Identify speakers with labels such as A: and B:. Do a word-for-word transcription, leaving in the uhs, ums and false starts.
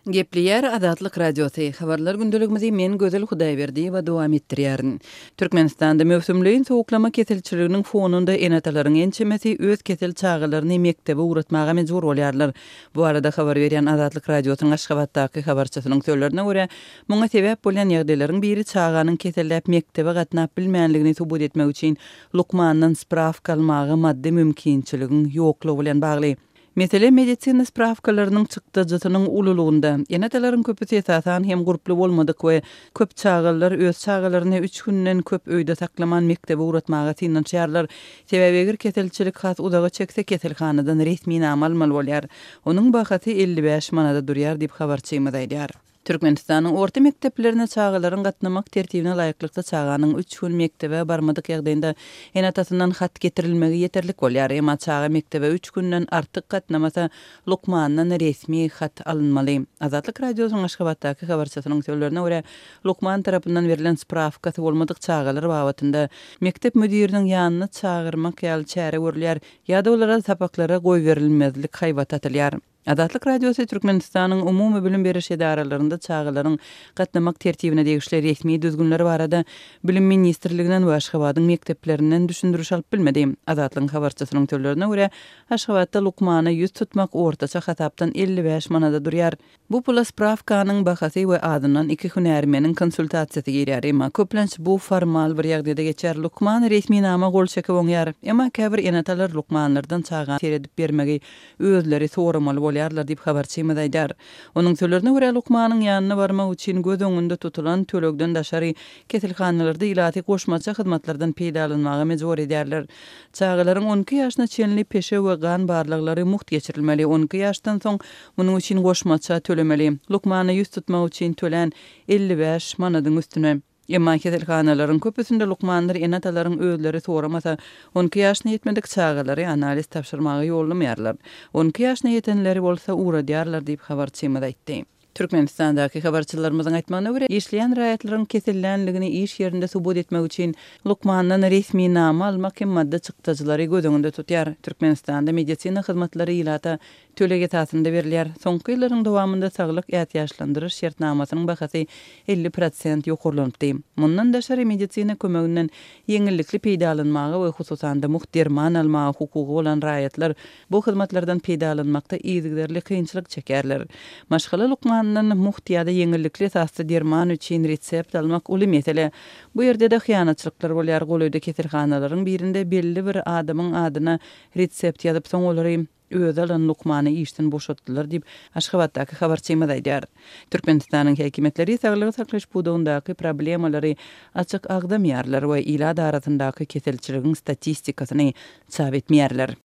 A: Gepleýär Azatlyk Radiosy, Habarlar gündeligimizi men Gözel Hudaýberdiýewa dowam etdirýärin. Türkmenistanda möwsümleýin sowuklama keselçiliginiň fonunda ene-atalaryň ençemesi öz kesel çagalaryny mekdebe ugratmaga mejbur bolýarlar. Bu barada habar berýän Azatlyk Radiosynyň Aşgabatdaky habarçysynyň sözlerine görä, muňa sebäp bolýan ýagdaýlaryň biri çaganyň keselläp mekdebe gatnap bilmänligini subut etmek üçin lukmandan sprawka almaga maddy mümkinçiligiň ýoklugy bilen bagly. Mesele medisina sprawkalarynyň çykdajysynyň ululygynda. Ene-atalaryň köpüsi esasan hem gurply bolmadyk we köp çagalylar öz çagalaryny üç günden köp öýde saklaman mekdebe ugratmaga synanyşýarlar. Sebäbi eger keselçilik has uzaga çekse keselhanadan resminama almaly bolýar. Onuň bahasy elli bäş manada durýar diýip habarçymyz aýdýar. Türkmenistanyň orta mekdeplerine çagalaryň gatnamak tertibine laýyklykda çaganyň üç gün mekdebe barmadyk ýagdaýynda ene-atasyndan hat getirilmegi ýeterlik bolýar. Emma çaga mekdebe üç günden artyk gatnamasa lukmandan resmi hat alynmaly. Azatlyk Radiosynyň Aşgabatdaky habarçysynyň sözlerine görä, lukman tarapyndan berlen sprawkasy bolmadyk çagalar babatynda mekdep müdiriniň ýanyna çagyrmak ýaly çäre görülýär ýa-da olara sapaklara goýberilmezlik haýbaty atylýar. Azatlyk Radiosy Türkmenistanyň umumy bilim beriş edaralarynda çagalaryň gatnamak tertibine degişli resmi düzgünler barada Bilim ministrliginden we Aşgabadyň mekdeplerinden düşündiriş alyp bilmedi. Azatlygyň habarçysynyň sözlerine görä, Aşgabatda lukmana ýüz tutmak ortaça hasapdan elli bäş manada durýar. Bu pula sprawkanyň bahasy we azyndan iki hünärmeniň konsultasiýasy girýär. Emma köplenç bu formal bir ýagdaýda geçýär. Lukman resminama gol çekip oňýar. Emma käbir ene-atalar lukmanlardan çaga seredip bermegi özleri soramaly bolýarlar diýip habarçymyz aýdýar. Onuň sözlerine görä, lukmanyň ýanyna barmak üçin göz öňünde tutulan tölegden daşary keselhanalarda ilaty goşmaça hyzmatlardan peýdalanmaga mejbur edýärler. Çagalaryň on iki ýaşyna çenli peşew we gan barlaglary mugt geçirilmeli, on iki ýaşdan soň munuň üçin goşmaça tölemeli. Lukmana ýüz tutmak üçin tölän elli bäş manadyň üstüne. Emma keselhanalaryň köpüsinde lukmanlar ene-atalaryň özleri soramasa, on iki ýaşyna ýetmedik çagalary analiz tabşyrmaga ýollamaýarlar. On iki ýaşyna ýetenleri bolsa ugradýarlar diýip habarçymyz aýtdy. Türkmenistandaky habarçylarymyzyň aýtmagyna görä, işleýän raýatlaryň kesellänligini iş ýerinde subut etmek üçin lukmandan resminama almak hem maddy çykdajylary göz öňünde tutýar. Türkmenistanda medisina hyzmatlary ilata töleg esasynda berilýär. Soňky ýyllaryň dowamynda saglyk ätiýaçlandyryş şertnamasynyň bahasy elli prosent ýokarlanypdy. Mundan daşary medisina kömeginden ýeňillikli peýdalanmaga we hususan-da mugt derman almaga hukugy bolan raýatlar bu hyzmatlardan peýdalanmakda yzygiderli kynçylyk çekýärler. Maşgala lukmanyndan mugt ýa-da ýeňillikli esasda derman üçin resept almak uly mesele. Bu ýerde-de hyýanatçylyklar bolýar. Golaýda keselhanalaryň birinde belli bir adamyň adyna resept ýazyp, soň olary özi alan lukmany işden boşatdylar diýip, Aşgabatdaky habarçymyz aýdýar. Türkmenistanyň häkimiýetleri saglygy saklaýyş pudagyndaky problemalary açyk agzamaýarlar we ilat arasyndaky keselçiligiň statistikasyny çap etmeýärler.